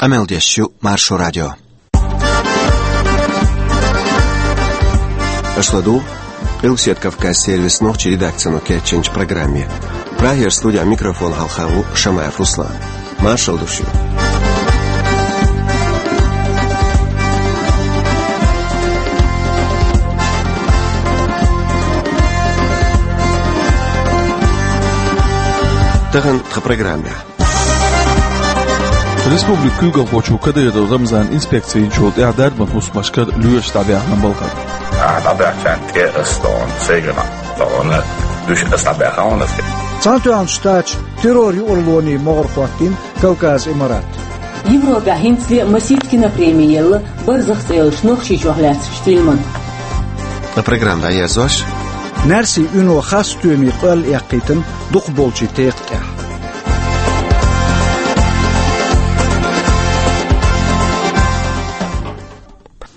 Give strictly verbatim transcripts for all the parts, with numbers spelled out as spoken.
Къамел деш ю Маршо радио. Аша ладугӀу Къилбаседа Кавказ сервисан нохчийн редакцино кечйинчу программе. Прагера студин микрофона хьалха ву Шамаев Руслан. Маршалла ду шуьга. Тахана тхан программехь. Республикан куьйгалхочо Кадыров Рамзана инспекци йинчул тӀаьхьа дарбан хӀусамашкара лоьраш дӀабаьхна балхара. Ахьа дӀабаьхначарна тӀе аса тхуна, сайгара тхуна, уьш аса дӀабаьхна хьуна аса. Цхьаьнатоьхначу Штаташа террор юкъарлонийн могӀара хӀоттийна Кавказ Имарат. Европехь хӀинцале а масийтта кинопреми елла, «Барзах» цӀе йолчу Нохчийчохь лаьцначу фильмана. Ткъа программа дӀаерзош. Наьрсийн уьно хасстоьмийн къоьлла эккхийтина дукхахболчийн текха тӀехь.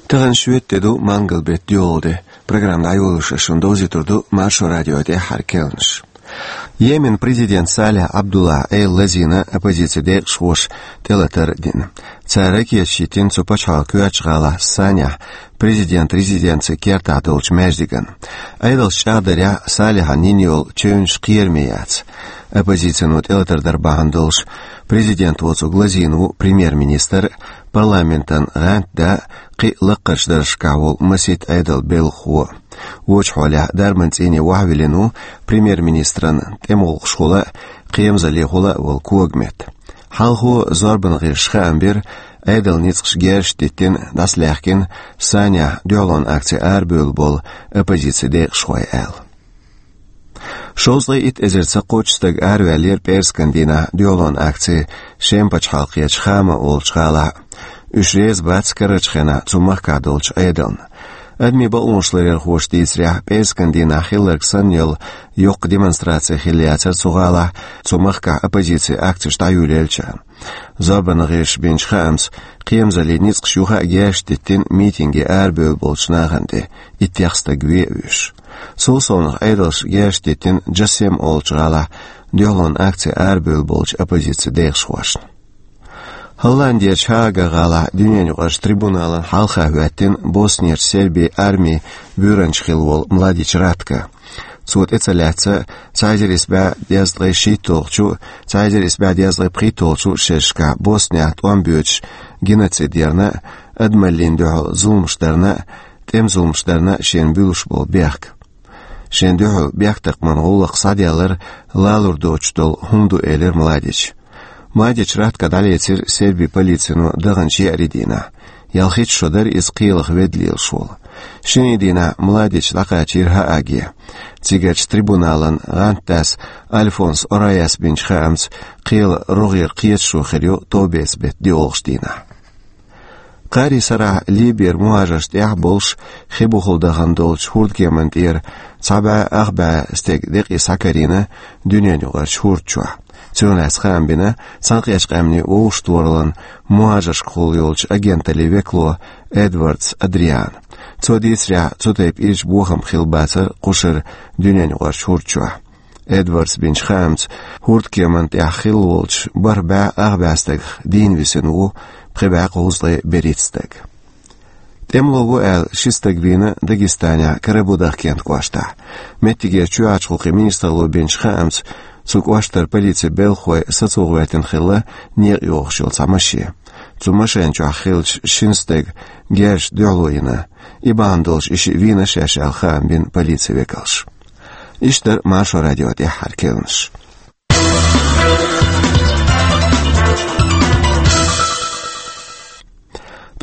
Тахана шоьтан де ду, мангал беттан доьалгӀа де. Программа дӀайолош ас шуна довзуьйтур ду Маршо радион тӀаьххьара керланаш. Йеменан президента Салих Абдуллахьан Ӏела лазийна оппозицин декъашхоша тӀелатар а дина. Цара ракеташ йиттина цу пачхьалкхан коьртачу гӀалахь Санехь президентан резиденцин кертахь долчу маьждигана. Ӏедалша чӀагӀдарехь, Салихьан йина йолу чевнаш кхераме яц. Оппозицино тӀелатар дар бахьана долуш, президент воцург лазийна ву премьер-министр а, парламентан гӀантда а, кхин а лакхарчу даржашкахь волу масийтта Ӏедалан белхахо а. Вочу хьолехь дарбан цӀийне вахьвиллина ву премьер-министран тӀемалгӀашхула а, кхерамзаллехула а волу Когмет. Хьалхо зорбанан гӀирсаша хаам бира, Ӏедалан ницкъаша герзаш диттина, дӀасалаьхкина Санехь дуьхьалонан акци арабевлла болу оппозицин декъашхой аьлла. Шовзткъе итт эзарца кхоччуш стаг араваьллера пӀераскан дийнахь дуьхьалонан акци Шеман пачхьалкхерчу Хама олучу гӀалахь. Уьш реза бац карарчу хенахь цу махкахь долчу Ӏедална. Адамийн бакъонаш ларъярхоша дийцарехь, пӀераскан дийнахь хилларг санна йолу йоккха демонстраци хилла яцара цу гӀалахь, цу махкахь оппозицин акцеш дӀайолаеллачарна. Зорбанан гӀирсаша бинчу хаамца, кхерамзаллин ницкъаша юха а герзаш диттина митинге арабевлла болчу нахана тӀе, иттех стаг ве а вуьйш. Цул совнаха Ӏедалша герзаш диттина Джасем олучу гӀалахь дуьхьалонан акци арабевлла болчу оппозицин декъашхошна. Холландерчу Гааган гӀалахь дуьненаюкъарчу трибуналан хьалха хӀоьттина Боснерчу Сербин армин буьйранча хилла волу Младич Ратко. Цо тӀе ца лаьцна цхьа эзар исс бӀе дезткъе шийтталгӀачу а, цхьа эзар исс бӀе дезткъе пхийтталгӀачу а шерашкахь Боснехь тӀом боьдуш геноцид ярна а, адамаллина дуьхьал зуламаш дарна а, тӀеман зуламаш дарна а шена буьллуш болу бехк. Шена дуьхьал бехктакхаман гӀуллакх схьаделлар лалур доцуш долу хӀума ду, элира Младича. Младич Ратко дӀалецира Сербин полицино даханчу еарин дийнахь. Ялхитта шо дара иза кхелах ведда лелаш волу. Шинарин дийнахь Младич дӀакхачийра Гааге. Цигарчу трибуналан гӀантдас Альфонс Ораяс бинчу хаамца, кхелан рогӀера кхеташо хир ю товбеца беттан доьалгӀачу дийнахь. Кхаарин сарахь Либера мухӀажаршна тӀехь болуш хи бухахула дахана долчу хӀордкеманна тӀера цхьа бӀе ах бӀе стеган декъий схьакарийна дуьненаюкъарчу хӀорда чохь. Цунах лаьцна хаам бина Цхьаьнакхеттачу Къаьмнийн Вовшахтохараллин мухӀажаршкахула йолчу агенталлин векало Эдвардс Адриана. Цо дийцарехь, цу тайпа ирча бохам хилла бацара кху шарахь дуьненаюкъарчу хӀорда чохь. Эдвардс бинчу хаамца, хӀордкеманна тӀехь хилла волчу бархӀ бӀе ах бӀе стагах дийна висина ву пхи бӀе кхузткъе берхӀитта стаг. ТӀемало ву аьлла ши стаг вийна Дагестанехь Карабудах кентан кӀоштахь. Меттигера чоьхьарчу гӀуллакхийн министралло бинчу хаамца, цу кӀоштара полицин белхахой сацо гӀоьртина хилла некъа йогӀуш йолу цхьа машен. Цу машен чохь хиллачу шина стага герзаша дуьхьало йина. И бахьана долуш и шиъ вийна шаьш аьлла хаам бина полицин векалша. Иштта дара Маршо радион тӀаьххьара керланаш.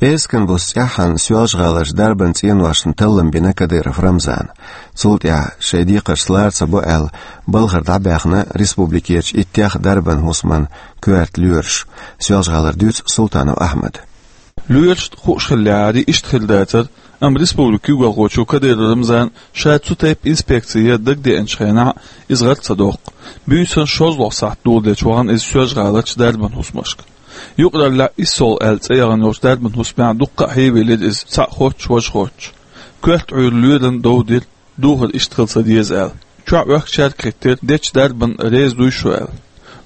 ПӀераскан буса цӀеххьана Соьлжа-ГӀаларчу дарбан цӀеношна таллам бина Кадыров Рамзана. Цул тӀаьхьа шайн декхаршца лара ца бо аьлла, балхара дӀабаьхна республикерчу иттех дарбан хӀусаман коьрта лоьраш. Соьлжа-ГӀалара дуьйцу Султанов Ахьмада. Лоьрашна хууш хиллехьара, иштта хир дацара, амма республикан куьйгалхочо Кадыров Рамзана ша цу тайпа инспекци ян дагадеанчу хенахь иза гӀар ца доккху. Буьйсанна шозлагӀа сахьт доладелча вахана иза Соьлжа-ГӀаларчу дарбан хӀусамашка. Юкъараллехь «Иссол» аьлла цӀе яхана йолчу дарбан хӀусамехь дуккха а хьийвелира иза, цхьаъ хоттуш, важа хоттуш. Коьрта Ӏуьйра лоьрана дов дира, духар иштта хила ца деза аьлла. Чохь оьхкучаьрга а хиттира, дечу дарбанна реза дуй шу аьлла.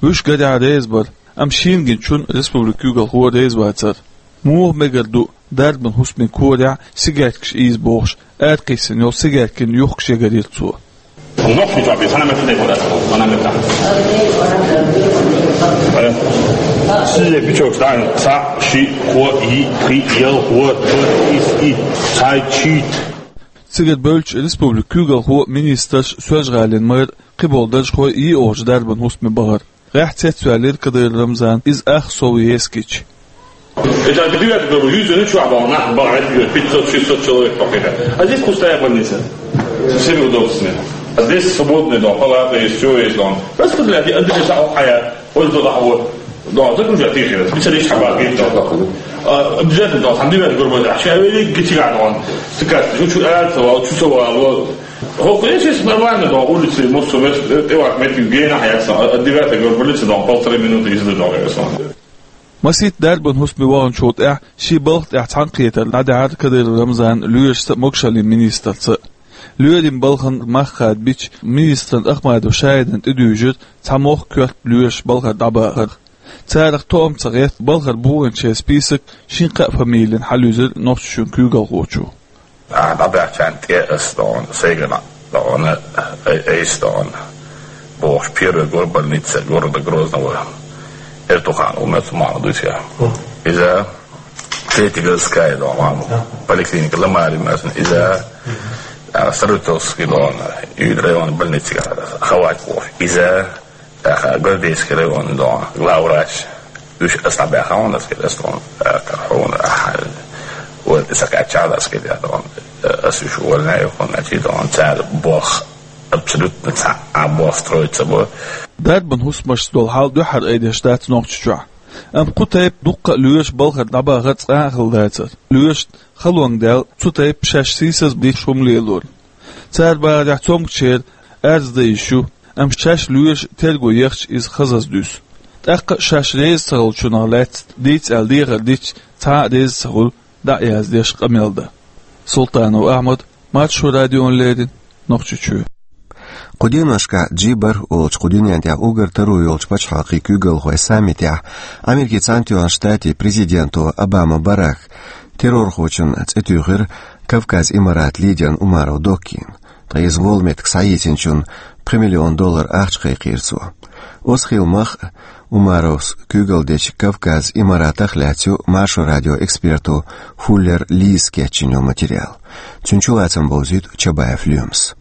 Вуьш гарехь реза бара, Амма шийна гинчун республикан куьйгалхо реза вацара. Муха мегар ду дарбан хӀусамийн корехь сигареткаш ийза бохуш, аракхиссина йолу сигареткин юхкуш ягарйира цо. Нохчийн чохь бен, хьан метта тӀе хьо дац, хьан метта. Сизе бичок стан, цхьаъ, шиъ, кхоъ, йиъ, пхиъ, ялх, ворхӀ, ворхӀ, ис, и, цхьайтта, шийтта. Цигара бевлча республикан куьйгалхо, министраш, Соьлжа-ГӀалин мэр, кхиболу даржхой йиъ олучу дарбан хӀусаме бахара. ГӀеххьа цецваьллера Кадыров Рамзан, иза ах сов ескича. Это девятый круг, юзу, ну чё, обал, нах, бал, это пятьсот-шестьсот человек покида. А здесь пустая больница. Со всеми удобствами. А здесь свободный дом, палата есть, все есть дом. Просто для Андрея Сахо Хая, он туда вот. Да, загружать их, специалист хабар, говорит, да. А, обязательно, да, там девятый круг, а сейчас я велик гитиган, он. Ты как, ну, чё, это, вот, чувствовал, вот. Хо, конечно, нормально, да, улицы, может, у нас, э, э, вот, метр, где на, я сам, а, девятый круг, больница, да, полторы минуты езды, да, я сам. Масийтта дарбан хӀусаме ваханчул тӀаьхьа шен балха тӀехь цхьаьнакхетар дӀадаьхьира Кадыров Рамзанна лоьрашца а, могушаллин министрца а. Лоьрийн балхана мах хадабича, министран Ахмадов Шайдан тӀедуьйжира цхьа мохк-коьрта лоьраш балхара дӀабахарх. Царах тоам ца гӀерта, балхара буханчеран список шина-кхаа фамилина хьалаюьзира Нохчийчоьнан куьйгалхочо. Ахьа дӀабаьхчарна тӀе ас дона, сайгара дона, ай-, айса дона, бохуш, первый глава больницы города Грозного Эртухан Умет Махмудович. Иза третья городская дона, поликлиника Ламари Мерсин, иза, а, Саратовский дона, и район больницы, Хавать бохуш. Иза ТӀаккха Гвардейский район дон главврач, уьш ас дӀабаьхна хьуна, ас кхидӀа ас тхуна, а, кара хьуна, ахьа, вот, и сакхаьччахьа ас кхидӀа дон, ас уьш увольняю хьуна, значит, дон, цара боху абсолютно цхьа а боху строиться бу. Дарбан хӀусамашца долу хьал дуьххьара айдеш дац Нохчийчохь. Амма кху тайпа дуккха а лоьраш балхара дӀабахар цкъа а хилла дацара. Лоьрашна халонга даьлла цу тайпа шаьш сийсаза дитта хӀума лелорна. Цара бахарехь, цомгушчеран арз дан йиш ю, амма шаьш лоьраша терго ехча, иза хазаза дуьсу. ТӀаккха а шаьш реза ца хиллачунах лаьцна дийца аьлла дехар дича, цхьа а реза ца хуьлу, дӀа а яздеш къамел дан. Султанов Ахьмад, Маршо радиона леррина, Нохчийчоь. Кху деношкахь Джи бархӀ олучу кху дуьнен тӀехь уггар таро йолчу пачхьалкхийн куьйгалхойн саммитехь Америкин Цхьаьнатоьхначу Штатийн президенто Обама Барака террорхочун цӀе туьйхира Кавказ Имарат лидерна Умаров Доккина. Ткъа иза волу меттиг схьаийцинчунна пхи миллион доллар ахча кхайкхийра цо. Оцу хилла мах а Умаровс куьйгалла дечу Кавказ Имаратах а лаьцна ю Маршо радион эксперто Фуллер Лизас кечйина йолу материал. Цуьнан чулацам бовзуьйту Чабаев Лоьмас.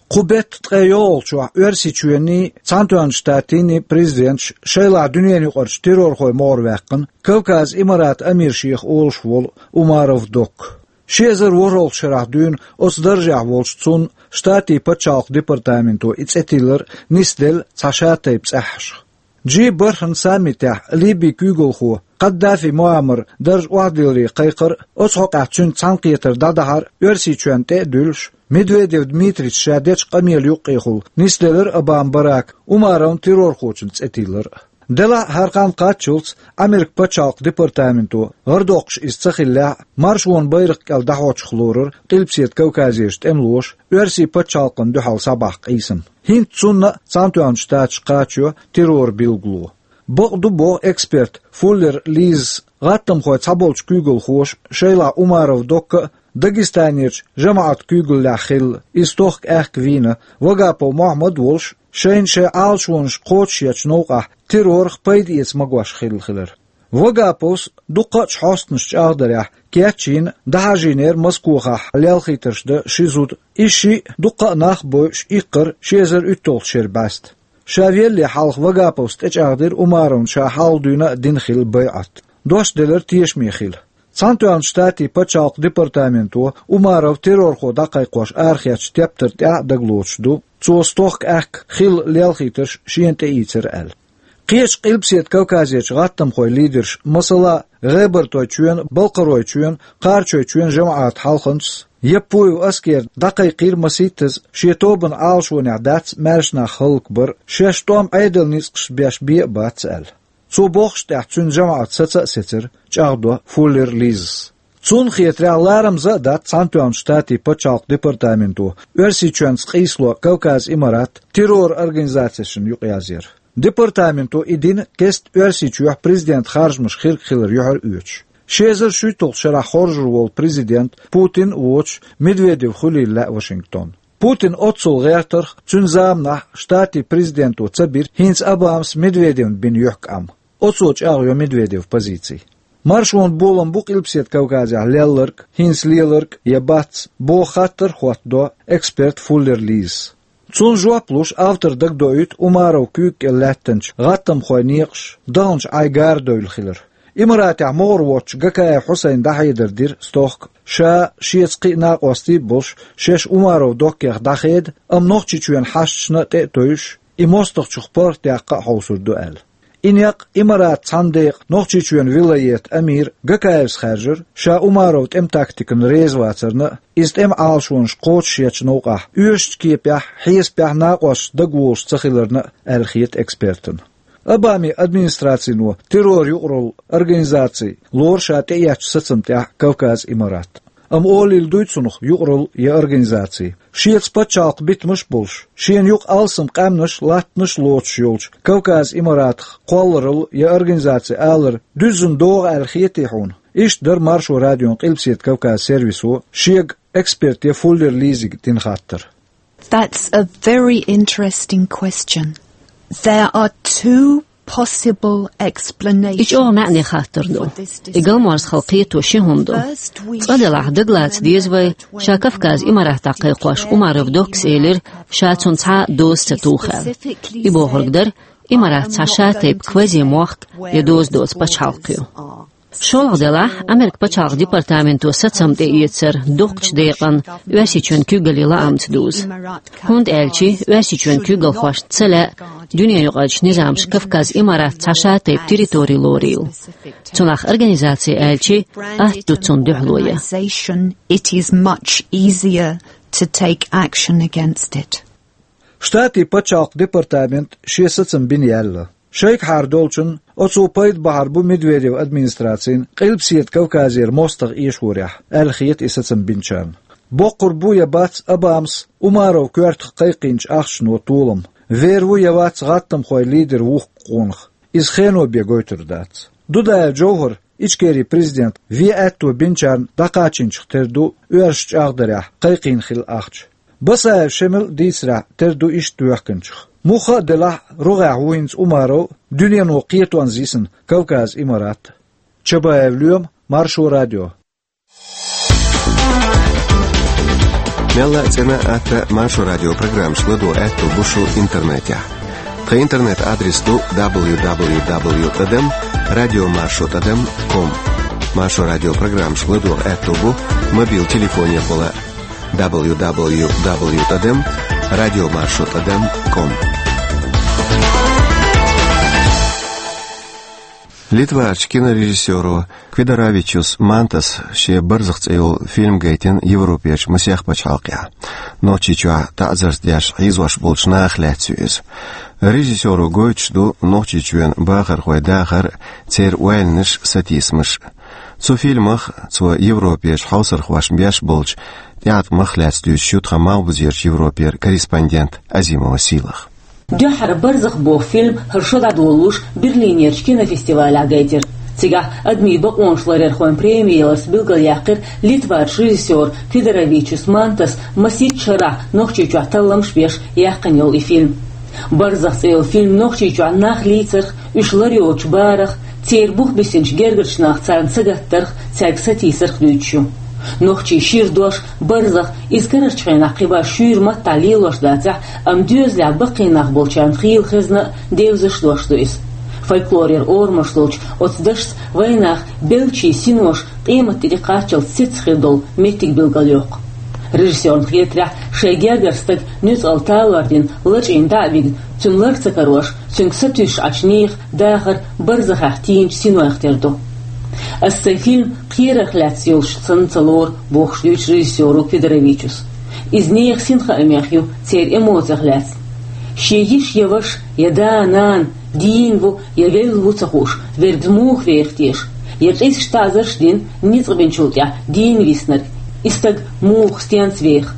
Кху беттан ткъе йолхалгӀачохь Оьрсийчоьнний, Цхьаьнатоьхначу Штатийн президенташ шайлахь дуьненаюкъарчу террорхойн могӀаре ваьккхина Кавказ Имарат амир шех олуш волу Умаров Докка. Ши эзар ворхӀалгӀачу шарахь дуьйна оцу даржехь волчу цунна Штатийн пачхьалкхан департаменто и цӀе тиллар нисделла цхьа шатайпа цӀеххьашха. Джи бархӀан саммитехь Ливин куьйгалхо Каддафи Муаммаран дарж охьадилларе кхайкхар а, оцу хьокъехь цуьнца цхьаьнакхетар дӀадахьар а Оьрсийчоьнна тӀе а дуьллуш, Медведев Дмитрийс ша дечу къамелан юккъехула нисделира Обама Барака Умаровн террорхочун цӀе тиллар а. Делахь а хӀара хан кхаччалц Америкин пачхьалкхан департаменто, гӀардоккхуш иза ца хиллехь а, маршонан байракх кӀел дӀахьочух лорура Къилбаседа Кавказерчу тӀемалоша Оьрсийн пачхьалкхана дуьхьал схьабаьхна къийсам. ХӀинца цунна а Цхьаьнатоьхначу Штаташка кхачайо терроран билгало. Бакъ ду, боху эксперт Фуллер Лизас, гӀаттамхойн цхьаболчу куьйгалхоша шайлахь Умаров Докка а, Дагестанерчу жамаӀатан куьйгаллехь хилла, иза стохка аьхка вийна, Вагапов Мохьмад а волуш, шайна шайн Ӏалашонаш кхочушъечу новкъахь террорах пайда эца магош хилла хилар. Вагаповс дуккха а хьостанаш чӀагӀдарехь, кечйина, дӀахьажийнера Москохахь лелхийтарш дан ши зуда, и шиъ дуккха а нах а бойуш иккхар ши эзар уьтталгӀачу шеран бӀаьста. Ша веллале хьалха Вагаповс тӀечӀагӀдира Умаровна ша хьалха дуьйна а дина хилла байӀат. Дош делира тешаме хила. Цхьаьнатоьхначу Штатийн пачхьалкхан департаменто Умаров террорхо дӀакхайкхош арахецначу тептар тӀехь а дагалоцуш ду, цо стохка аьхка хилла лелхийтарш шена тӀеийцира аьлла. Кхечу Къилбаседа Кавказерчу гӀаттамхойн лидерша, масала, ГӀебартойчоьнан, Балкхаройчоьнан, Кхарачойчоьнан жамаӀатан хьалханчас Яппуев Аскера дӀакхайкхийра масийттаза шен тобанан Ӏалашонехь дац маьрша нах хӀаллакбар, шаьш тӀом Ӏедалан ницкъашца беш бен а бац аьлла. Цо бохучу тӀехь цуьнан жамаӀат саца а сецира, чӀагӀдо Фуллер Лизас. Цунна хетарехь, ларамза а дац Цхьаьнатоьхначу Штатийн пачхьалкхан департаменто Оьрсийчоьнца къийсало Кавказ Имарат террор организацешна юкъаязвар. Департаменто и дина кеста Оьрсийчохь президент харжамаш хирг хилар юьхьар оьцуш. Ши эзар шуьйтталгӀачу шарахь хоржур волу президент Путин а воцуш Медведев хуьлийла лаьа Вашингтон. Путин оццул гӀертарх, цуьнан заманахь Штатийн президенто ца бира хӀинца Обамас Медведевна бина юьхькӀам. Оцо чӀагӀйо Медведев позици. Маршонан болам бу Къилбаседа Кавказехь лелларг, хӀинца леларг я бац, боху хаттар а хӀоттадо эксперт Фуллер Лизас. Цунна жоп луш, автора дагадоуьйту Умаров куьйга кӀел лаьттанчу гӀаттамхойн некъаш даханчу Ӏай гара девлла хилар. Имаратехь могӀар воцучу Гакаев Хьусайна дӀахьедар дира стохка, ша, шеца кхин а накъостий а болуш, шаьш Умаров доккхех дӀахеда, амма Нохчийчоьнан хьашташна а тӀе а тевжаш, и мостагӀчух паргӀатдаккха а хьовсур ду аьлла. И некъ Имаратан цхьана декъан Нохчийчоьнан вилаятан амира Гакаевс хаьржира, ша Умаров тӀеман тактикана реза вацарна а, иза тӀеман Ӏалашонаш кхочушъечу новкъахь оьшучу кепехь, хьесапехь накъосташца дагаволуш ца хиларна а, аьлла хета экспертана. Обамин администрацино террор юкъаралла организаци лору ша тӀеэцначу сацамна тӀехь Кавказ Имарат. Амма олийла дуй цунах юкъаралла я организаци. Шеца пачхьалкхан битамаш а болуш, шена юкъа алсам къаьмнаш а, латтанаш а лоцуш йолчу Кавказ Имаратах кхолларалла я организаци алар дуьззина догӀу аьлла хетий хьуна? Иштта дара Маршо радион Къилбаседа Кавказ сервисо шега эксперте Фуллер Лизига дина хаттар. That's a very interesting question. There are two possible explanations. И чӀогӀа маьӀне хаттар ду. И галморзахалла кхето ши хӀума ду. Цкъа делахь, дагалаца деза вай, ша Кавказ Имаратах кхайкхош Умаров доккхас элира, ша цунна цхьа а доза ца туху аьлла. И бохург дара, Имарат цхьа шатайпа квази-мохк я доза доцу пачхьалкх ю. ШолгӀа делахь, Америкин пачхьалкхан департаменто сацам тӀеэцар дукхачу декъан Оьрсийчоьнан куьйгаллин лаамца дузу. ХӀунда аьлча Оьрсийчоьнан куьйгалхошна ца лаьа дуьненаюкъарчу низамаша Кавказ Имарат цхьа шатайпа территори лорийла. Цунах организаци аьлча атта ду цунна дуьхьало ян. It is much easier to take action against it. Штатийн пачхьалкхан департамента шен сацам бина яьлла. Шайгахьара долчунна оцо пайда бахьар бу Медведев администрацина Къилбаседа Кавказера мостагӀа эшорехь, аьлла хета и сацам бинчарна. Боккхур бу я бац Обамас Умаров коьртах кхайкхийначу ахчано толам. Вер ву я вац гӀаттамхойн лидер вухкучу къонах. Иза хено бен гойтур дац. Дудаев Джовхар, Ичкерин президент, вен аьтто бинчарна дӀакхачийначух тера ду оьрсаша чӀагӀдарехь кхайкхийна хилла ахча. Басаев Шемал дийцарехь, тера ду иштта воьхканчух. Муха а делахь, рогӀехь ву хӀинца Умаров, дуьнено кхетонца йисина Кавказ Имарат. Чабаев Лоьма, Маршо радио. Мелла а цӀена а, атта Маршо радио программашка ладогӀа аьтто бу шун интернетехь. Тхан интернет-адрес ду дабл ю дабл ю дабл ю тӀадам радио маршо тӀадам ком. Маршо радио программашка ладогӀа аьтто бу мобил телефонехула дабл ю дабл ю дабл ю тӀадам радио маршо тӀадам ком. Литварчу кинорежиссёро Квидоровичус Мантас шен «Барзах» цӀе йолу фильм гайтина Европерчу масех пачхьалкхехь. Нохчийчохь таӀзарш деш хьийзош болчу нахах лаьцна ю иза. Режиссёро гойтуш ду Нохчийчоьнан бахархойн дахар а, церан ойланаш а, сатийсамаш а. Цу фильмах, цо Европерчу хьовсархошна беш болчу тӀеӀаткъамах а лаьцна дуьйцуш ю тхан Малхбузерчу Европера корреспондент Азимова Сийлаха. Дуьххьара «Барзах» боху фильм хӀара шо дӀадолалуш Берлинерчу кинофестивалехь гайтира. Цигахь адамийн бакъонаш ларъярхойн преми яларца билгалъяьккхира Литварчу режиссёра Квидоровичус Мантас масийтта шарахь Нохчийчохь талламаш беш яьккхина йолу и фильм. «Барзах» цӀе йолу фильм Нохчийчохь нах лийцарх, уьш лар йоцучу барах, церан бух бисинчу гергарчу наха царна сагаттарх, цаьрга сатийсарх дуьйцуш ю. Нохчийн шира дош барзах, иза карарчу хенахь кхин башха шуьйра маттахь лелош дацахь, амма доьзалехь баккхий нах болчарна хийла хезна а, девзаш а дош ду иза. Фольклорера орамаш долчу оцу дашца вайнах беллачийн синоша къематде тӀекхаччалц сецна хир долу меттиг билгалйоккху. Режиссёрна хетарехь, шайн гергара стаг нуьцкъала талор дина лачкъийна дӀа а вигна, цуьнан лар ца карош, цуьнга сатуьйсуш Ӏачу нехан дахар барзахехь тийначу синойх тера ду. «Ас сайн фильм кхерарх лаьцна йолуш санна ца лору», — бохуш дуьйцу режиссёро Квидоровичус. Иза нехан синхаамех ю, церан эмоцех лаьцна. Шен йиша я ваша, я да-нана, дийна ву я велла ву ца хууш, верг муха веха теша, я къизаш, таӀзарш а дина, ницкъ бинчул тӀаьхьа дийна виснарг, и стаг муха, стенца веха?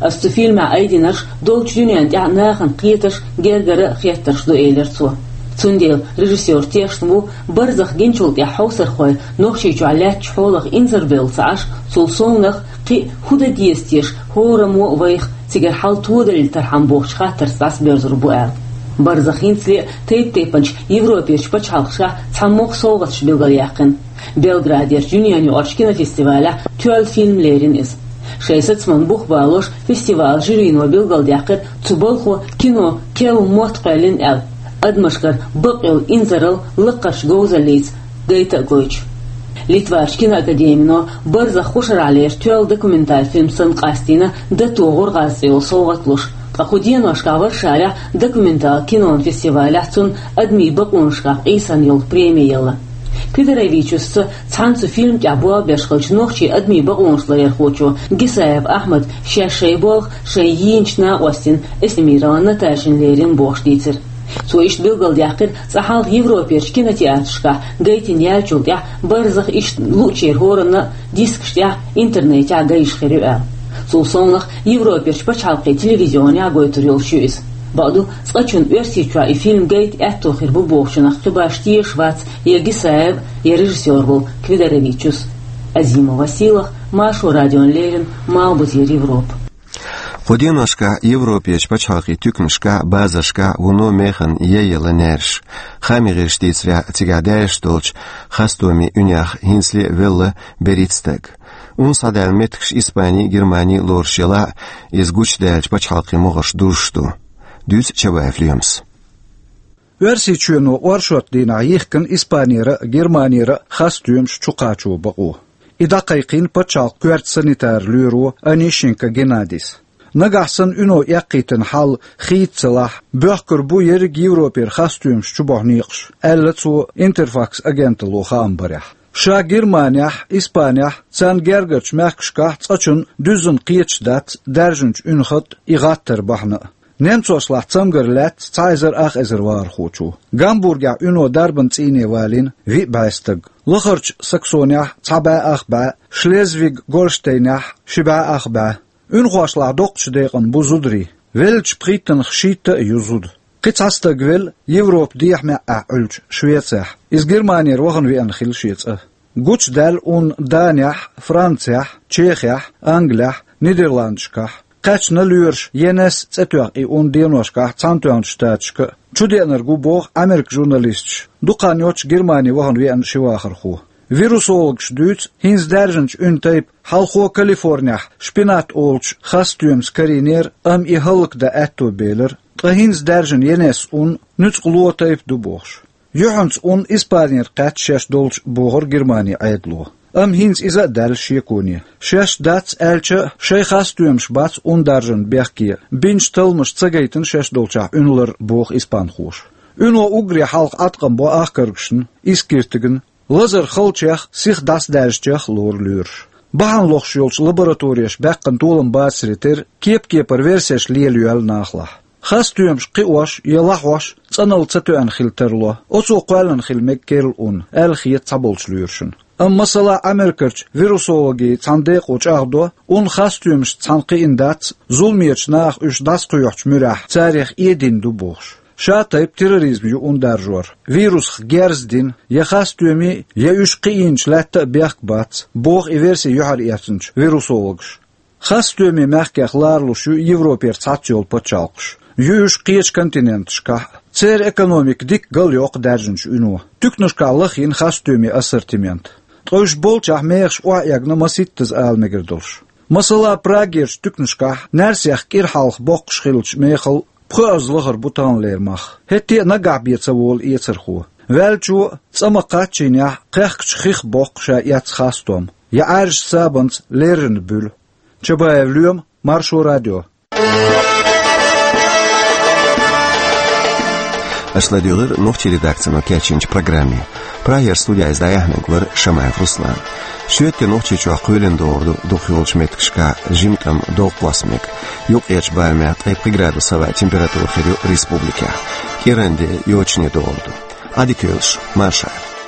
Ас цу фильмехь айдинарш долчу дуьнен тӀехь нахана кхетарш гергара а хеттарш ду, элира цо. Цундела режиссёр тешна ву, Барзах гинчул тӀаьхьа хьовсархой Нохчийчохь лаьттачу хьолах инзарбевлла ца Ӏаш, цул совнах кхин а хӀун дан деза теша хӀораммо а вайх, цигара хьал тодалийтархьама бохучу хаттарца дӀасабоьрзур бу аьлла. Барзах хӀинцале а тайп-тайпанчу Европерчу пачхьалкхашкахь цхьаммо а совгӀаташ билгалъяьккхина. Белградерчу дуьненаюкъарчу кинофестивалехь тоьлла фильм лерина иза. Шайн сацаман бух балош, фестивалан жюрино билгалдаьккхира цу балхо кино керла мотт кхоьллина аьлла, адамашкара бакъйолу инзаралла лакхарчу говзаллица гайта а гойтуш. Литварчу киноакадемино Барзах хӀокху шарахь лерчу тоьлла документал фильмаш санна къастийна «Датогара гӀазкхийн» цӀе йолу совгӀат луш. Ткъа кху деношкахь Варшавехь документал кинон фестивалехь цунна адамийн бакъонашкахь къийсам йолу преми елла. Квидоровичусца цхьаьна цу фильма тӀехь болх беш хиллачу нохчийн адамийн бакъонаш ларъярхочо Гисаев Ахьмада шаьш шайн болх шайн йийначу накъостина Эсмирова Наташина лерина бохуш дийцира. Цо иштта билгалдаьккхира, цкъа хьалха Европерчу кинотеатрашкахь гайтина яьллачул тӀаьхьа Барзах иштта луъучеран хӀоранна а дискаш тӀехь, интернетехь гайта хир ю аьлла. Цул совнах Европерчу пачхьалкхийн телевизионехь гойтур йолуш ю иза. Бакъду, цкъачунна Оьрсийчохь и фильм гайта аьтто хир бу бохучунах кхин башха тешаш вац я Гисаев, я режиссёр волу Квидоровичус. Азимова Сийлаха, Маршо радиона леррина, Малхбузера Европа. Кху деношкахь Европерчу пачхьалкхийн туьканашкахь, базаршкахь вуно механа яй яла нераш. Хаамийн гӀирсаша дийцарехь, цигахь даьржаш долчу хастомийн уьнех хӀинцале а велла берхӀитта стаг. Ун схьадаьлла меттигаш Испани а, Германи а лоруш елахь а, иза гучудаьллачу пачхьалкхийн могӀарш дузуш ду. Дуьйцу Чабаев Лемас. Оьрсийчоьно оршот дийнахь йихкина Испанера а, Германера а хастомаш чукхачо бакъо. И дӀакхайкхийна пачхьалкхан коьрта санитар лоьро Онищенко Геннадис. Нагахь санна уьно эккхийтина хьал хийца ца лахь, боьхкур бу ерриг Европера хастомаш чубохьу некъаш, аьлла цо Интерфакс агенталло хаам барехь. Ша Германехь, Испанехь, царна гергарчу мехкашкахь цкъачунна дуьззина кхеташ дац даьржинчу уьнхат а, и гӀаттар бахьана а. Немцошлахь цамгар лаьцна цхьа эзар ах эзар вахархочо. Гамбургехь уьно дарбан цӀийне валийна виъ бӀе стаг. Лахарчу Саксонехь цхьа бӀе ах бӀе, Шлезвиг-Гольштейнехь ши бӀе ах бӀе. Уьнхошлахь доккхачу декъана бу зударий. Веллачу пхийттанах шийтта а ю зуда. Кхин цхьа стаг велла Европа дехьа-маьӀӀехь Ӏуьллучу Швецехь. Иза Германера вахана веана хилла шен цӀа. Гучудаьлла ун Данехь, Францехь, Чехехь, Англехь, Нидерландашкахь. Кхаьчна лоьраша Енес цӀе тоьхна и ун деношкахь Цхьаьнатоьхначу Штаташка а. Чудеанарг ву боху Ӏамеркан журналисташа дукха хан йоццуш Германи вахана веана ши вахархо. Вирусологаша дуьйцу, хӀинца даьржинчу уьнан тайпа хьалхо Калифорнехь шпинат олучу хастомаца карийнера, амма и хӀаллакдан аьтто белира, ткъа хӀинца даьржина Енес ун нуьцкъало тайпа ду бохуш. Юьхьанца ун Испанера кхаьчна шаьш долчу бохура Германин Ӏедало. Амма хӀинца иза а даьлла шеконе. Шаьш дац аьлча а, шайн хастомаш бац ун даржарна бехке, бинчу талламаша ца гайтина шаьш долчохь уьн лар, боху испанхоша. Уьно уггаре хьалха Ӏаткъам бо ахкаргашна, Искиртигна, лазар халчех, сиха дӀасадаьржичех а лору лоьраша. Бахьана лохуш йолчу лаборатореша баьккхина толам бацаре терра, кеп-кепара версеш лелайоьлла нахалахь. Хастомаш кхиош я лахьош цӀаналла ца тоьъна хила тарло, оцо кхоьллина хила мега керла ун, аьлла хета цхьаболчу лоьрашна. Амма, масала, Америкерчу вирусологийн цхьана декъо чӀагӀдо, ун хастомашца цхьаьна кхиъна дац, зуламечу наха уьш дӀасакхоьхьучу муьрехь царех эдина ду бохуш. Ша тайпа терроризм ю ун даржор, вирусах герз дина, я хастомийн, я уьш кхиийначу лаьтта а бехк бац, боху и верси юьхьарэцначу вирусологаша. Хастомийн мехкех ларалуш ю Европера цхьацца йолу пачхьалкхаш. Ю уьш кхечу континенташкахь а. Церан экономика дикка галйоккху даьржинчу уьно. Туьканашкахь лахйина хастомийн ассортимент. Ткъа уьш болчохь мехаш охьаэгна масийттаза ала мегар долуш. Масала, Прагерчу туьканашкахь наьрсех кӀира хьалха боккхуш хиллачу мехал пхоьазза лахара бу таханлера мах. ХӀетте а наггахь бен ца волу эцархо. Ваьллачо а, цӀа ма-кхаччийнехь, кхехкачу хих боккху ша эцна хастом, я Ӏаьржачу сабанца леррина буьлу. Чабаев Лоьма, Маршо радио. Аша ладуьйгӀира нохчийн редакцино кечйинчу программе. Прагера студехь иза дӀаяьхьнарг вара Шамаев Руслан. Шоьтан Нохчийчохь кхоьлина догӀур ду дукхахйолчу меттигашкахь жимма тӀама догӀа кхосса мега. Юккъерчу барамехь ткъе пхи градус хилла температура хир ю республикехь. КӀиранде йочане догӀур ду. Ӏадика йойла шун, марша Ӏойла.